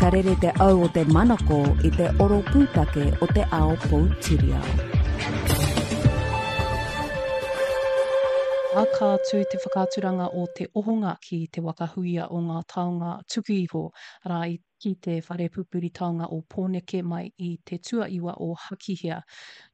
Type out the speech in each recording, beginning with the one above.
Ka rere te au o te manako i te oro pūtake o te ao poutiriao. Ā, ka tū te whakaaturanga o Te Ohonga ki Te Waka Huia o Ngā Taonga Tuku Iho, arā, i ki te whare pupuri taonga o Pōneke mai i te tuaiwa o Hakihea.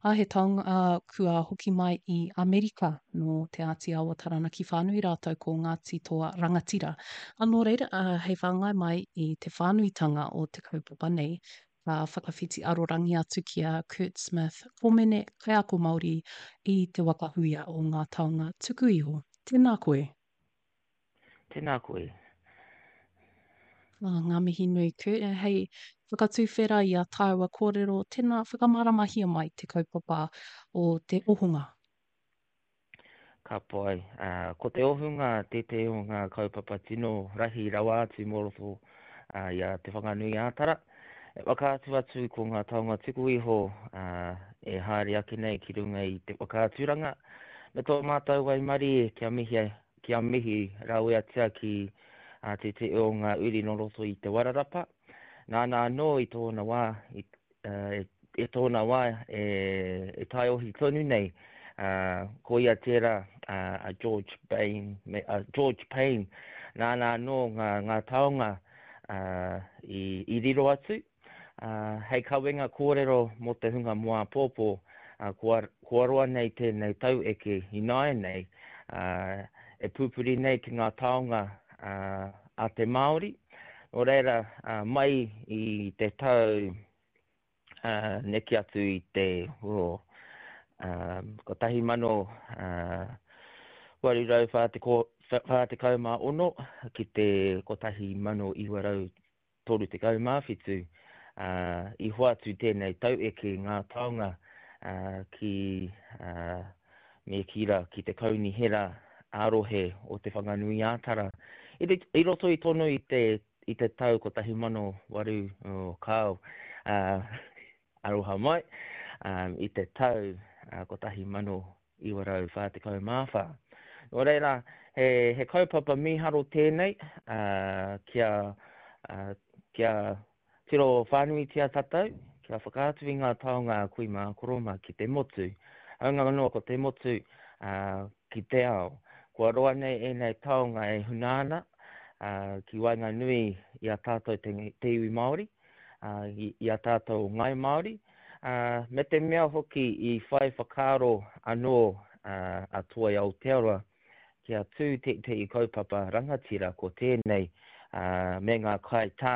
Ā, he taonga kua hoki mai i Amerika nō Te Āti Awa Taranaki whānui rātou ko Ngāti Toa Rangatira. Ā, nō reira, hei whāngai mai i te whānuitanga o te kaupapa nei, ka whakawhiti arorangi atu ki a Kurt Smith, Komene, kaiako Māori i Te Waka Huia o Ngā Taonga Tuku Iho. Tēnā koe. Tēnā koe. Ah, ngā mihi nui, Kurt. Eh, hei whakatuwhera i a tāua kōrero, tēnā whakamāramahia mai te kaupapa o te ohunga. Ka pai. Uh, ko te ohunga tētehi o ngā kaupapa tino rahi rawa atu mō roto uh, i a Te Whanganui-ā-Tara. E whakaatu atu ko ngā taonga tuku iho uh, e haere ake nei ki runga i te whakaaturanga. Me tō mātou waimarie kia mihi Kia mihi raweatia ki a tētehi o ngā uri nō roto i Te Wairarapa. Nāna anō i tōna wā, i, e tōna wā e, e taiohi tonu nei, uh, ko ia tērā uh, a George Bain, me, uh, George Payne, nāna anō ngā, ngā taonga uh, i, i riro atu. Ā, hei kawenga kōrero mō te hunga mō āpōpō, ā, kua, kua roa nei tēnei taueke ināianei, ā, e pupuri nei ki ngā taonga, ā, a te Māori. Nō reira, ā, mai i te tau, ā, neke atu i te, oh, ā, 1846 ki te 1900, 37, ā, i hoatu tēnei taueke ngā taonga ki, ā, me kī rā, ki te Kaunihera ā-Rohe o Te Whanganui-ā-Tara. I, i roto i tonu i te, i te tau 1800, oh, kāo, ā, aroha mai, ā, i te tau 1944. Nō reira, he, he kaupapa mīharo tēnei, ā, kia, ā, kia tiro whānuitia tātou, kia whakaatu i ngā taonga a kui mā, koro mā ki te motu. Hāunga anō ko te motu, ā, ki te ao. Kua roa nei ēnei taonga e huna ana, ā, ki waenganui i a tātou te, te iwi Māori, ā, i, i a tātou o Ngāi Māori, ā, me te mea hoki i whai whakaaro anō a Toi Aotearoa kia tū tētehi kaupapa rangatira ko tēnei, ā, me ngā kaitā,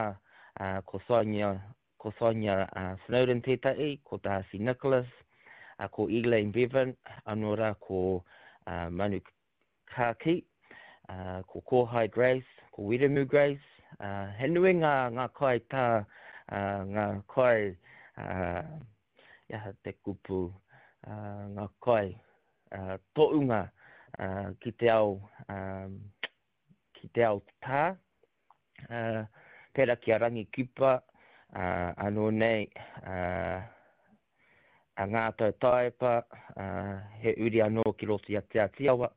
ā, ko Sonia, ko Sonia Snowdon tētahi, ko Darcy Nicholas, ā, ko Elaine Bevan, anō rā ko Manu Ka kī, ko Kōhai Grace, ko Wiremu Grace, he nui ngā, ngā kai tā, ngā kai, he aha te kupu, ngā kai toʻunga ki te ao, ki te ao tā, pērā ki a Rangi Kipa, anō nei, a Ngātau Taepa, he uri anō ki roto i a Te Āti Awa,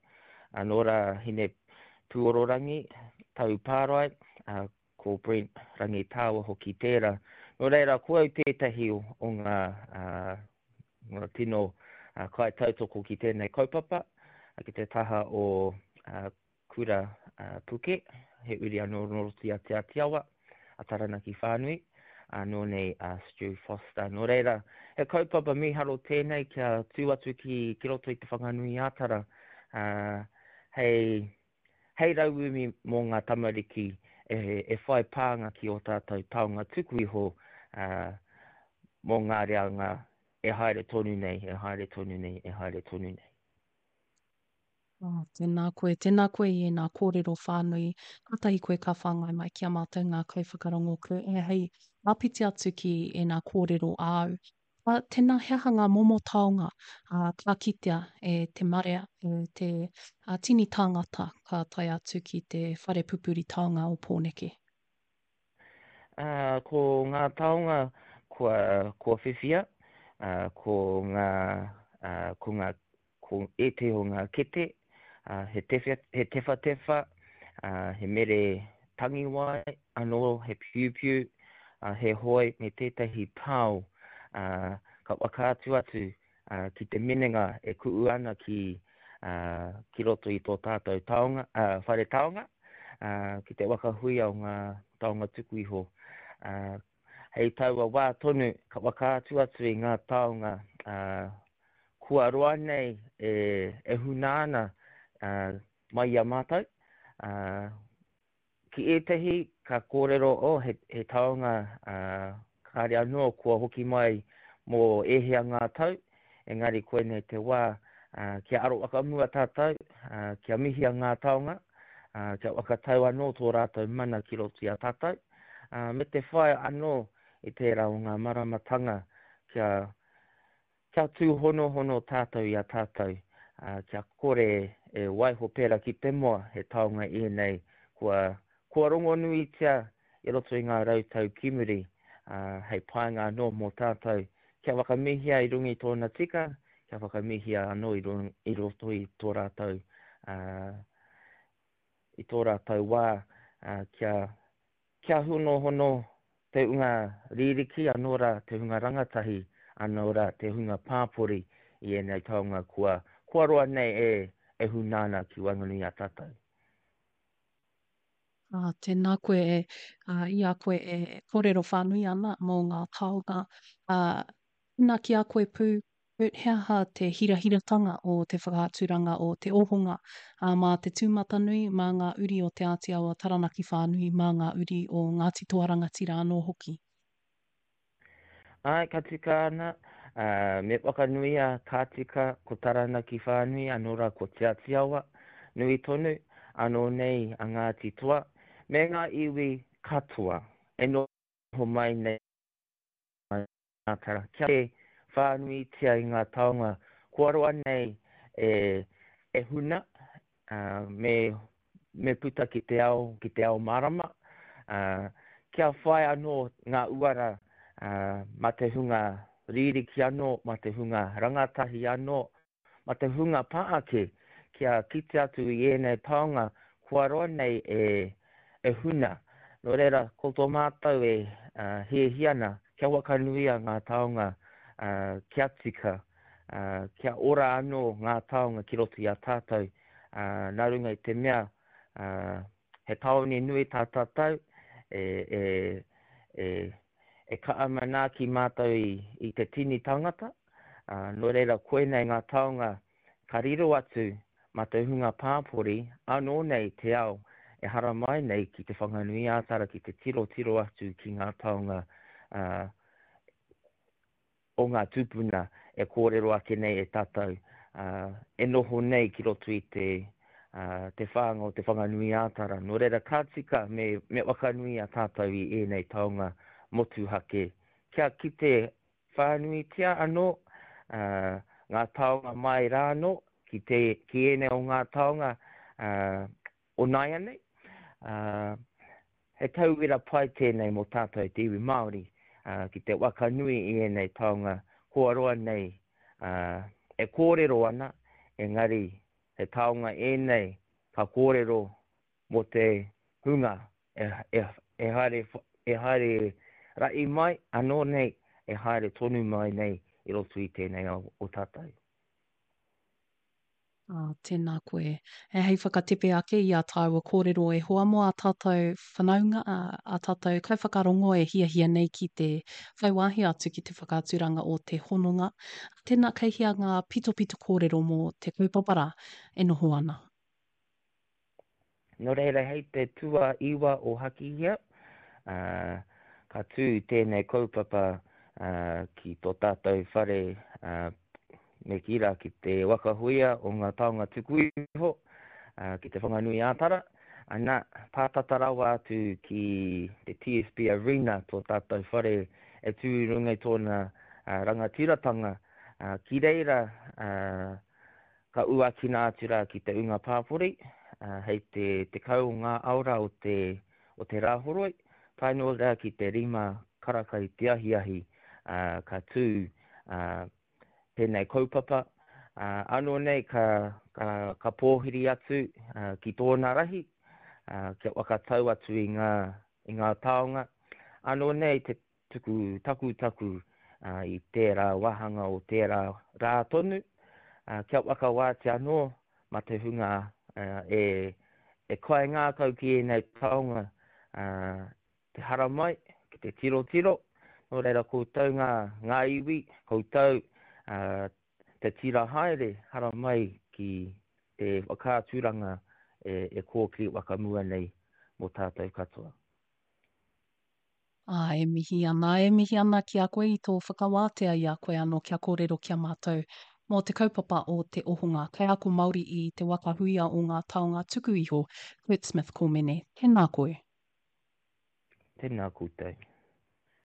anō rā Hine Pūororangi, Tau Pārae, ko Brent Rangitāua hoki tērā. Nō reira, ko au tētahi o ngā, ngā tino kaitautoko ki tēnei kaupapa, ki te taha o Kura Puke, he uri anō nō roto i a Te Ātiawa, a Taranaki whānui, anō nei a Stu Foster. Nō reira, he kaupapa mīharo tēnei kia tū atu ki, ki roto i Te Whanganui-ā-Tara, ā, hei, hei rauemi mō ngā tamariki e, e whai pānga ki ō tātou taonga tuku iho, ā, mō ngā reanga e haere tonu nei, e haere tonu nei, e haere tonu nei. Oh, tēnā koe, tēnā koe i ēnā kōrero whānui. Kātahi koe ka whāngai mai ki a mātou ngā kaiwhakarongo koe e hei āpiti atu ki ēnā kōrero āu. Uh, tēnā, he aha ngā momo taonga uh, ka kitea e te marea, e te uh, tini tāngata ka tae atu ki te whare pupuri taonga o Pōneke? Uh, ko ngā taonga kua, kua whiwhia, uh, ko ngā, uh, ko ngā Ko ētehi o ngā kete, he he tewhatewha, he mere tangiwai anō, he piupiu. he hoe me tētahi pao, ā, ka whakaatu atu ki te minenga e ku'u ana ki, ki roto i tō tātou taonga, ā, whare taonga, ā, ki te waka huia o ngā taonga tuku iho. Ā, hei taua wā tonu ka whakaatu atu i ngā taonga, ā, kua roa nei e, e huna ana, ā, mai i a mātou, ā, Ki ētahi ka kōrero, oh, he, he taonga, ā, kāre anō kua hoki mai mō ēhea ngā tau, engari koinei te wā, ā, kia aro whakamua tātou, ā, kia mihia ngā taonga, ā, kia whakatau anō tō rātou mana ki roto i a tātou, ā, me te whai anō i tērā o ngā maramatanga kia, Kia tūhonohono tātou i a tātou, ā, kia kore e waiho pērā ki te moa, he taonga ēnei kua, kua rongonuitia i roto i ngā rautau ki muri, ā, hei painga anō mō tātou, kia whakamihia i runga i tōna tika, kia whakamihia anō i runga, i roto i tō rātou, ā, i tō rātou wā, ā, kia, Kia honohono te hunga ririki, anō rā te hunga rangatahi, anō rā te hunga pāpori i ēnei taonga kua, kua roa nei e, e huna ana ki waenganui i a tātou. Ā, tēnā koe e, ā, i a koe e kōrero whānui ana mō ngā taonga, ā, tēnā ki a koe pū, Kurt, he aha te hirahiratanga o te whakaaturanga o Te Ohonga, ā, mā te tūmatanui, mā ngā uri o Te Āti Awa Taranaki whānui, mā ngā uri o Ngāti Toa Rangatira anō hoki? Āe, ka tika ana, ā, me whakanuia ka tika ko Taranaki whānui, anō rā ko Te Āti Awa, nui tonu, anō nei a Ngāti Toa, me ngā iwi katoa e noho mai nei. Kia whānuitia i ngā taonga kua roa nei e huna, me, me puta ki te ao, ki te ao mārama, kia whai anō ngā uara mā te hunga ririki anō, mā te hunga rangatahi anō, Ma te hunga pa ake kia kite atu i ēnei taonga kua roa nei e huna. Nō reira, ko tō mātou e hiahia ana kia whakanuia ngā taonga kia tika, kia ora anō ngā taonga ki roto i a tātou, nā runga i te mea he tāone nui tā tātou, e kaha manaaki mātou i te tini tāngata, Ā, nō reira koinei ngā taonga ka riro atu mā te hunga pāpori anō nei te ao e haramai nei ki Te Whanganui-ā-Tara ki te tirotiro atu ki ngā taonga ā, o ngā tūpuna e kōrero ake nei e tātou, ā, e noho nei ki roto i te, ā, te whānga o Te Whanganui-ā-Tara. Nō reira ka tika me, me whakanui a tātou i ēnei taonga motuhake kia kite Whānuitia anō ngā taonga mai rā anō ki te, ki ēnei o ngā taonga o nāianei. He tauira pai tēnei mō tātou te iwi Māori ki te waka nui i ēnei taonga kua roa nei e kōrero ana, engari he taonga ēnei ka kōrero mō te hunga e haere, e haere raʻi mai, anō nei, e haere tonu mai nei i roto i tēnei ao o tātou. Ā, tēnā koe. E hei whakatepe ake i ā tāua kōrero e hoa mō ā tātou whanaunga, ā, ā tātou kaiwhakarongo e hiahia nei ki te whai wāhi atu ki te whakaaturanga o te hononga. Tēnā, kei hea ngā pitopito kōrero mō te kaupapa rā e noho ana? Nō reira, hei te tuaiwa o Hakihea, ka tū tēnei kaupapa ki tō tātou whare, me kī rā, ki te waka huia o ngā taonga tuku iho, ki Te Whanganui-ā-Tara. Ana, pātata rawa atu ki te TSB Arena tō tātou whare e tū i runga i tōna rangatiratanga. Ki reira, Ka uakina atu rā ki te ūnga pāpori, hei te 10 o ngā aora o te, o te Rāhoroi, tae noa rā ki te rima karaka i te ahiahi, ka tū tēnei kaupapa. Anō nei ka, ka, ka pōhiri atu ki tōna rahi, kia whakatau atu i ngā, i ngā taonga. Anō nei te tuku takutaku i tērā wāhanga o tērā rā tonu, kia whakawātea anō mā te hunga e kaingākau ki ēnei taonga te haramai, ki te tirotiro, nō reira koutou ngā, ngā iwi, koutou te tira haere haramai ki te whakaaturanga e, e kōkiri whakamua nei mō tātou katoa. Ā, e mihi ana, e mihi ana ki a koe i tō whakawātea i a koe anō kia kōrero ki a mātou mō te kaupapa o Te Ohonga, Kaiako Māori i Te Waka Huia o Ngā Taonga Tuku Iho, Kurt Smith Komene. Tēnā koe. Tēnā koutou.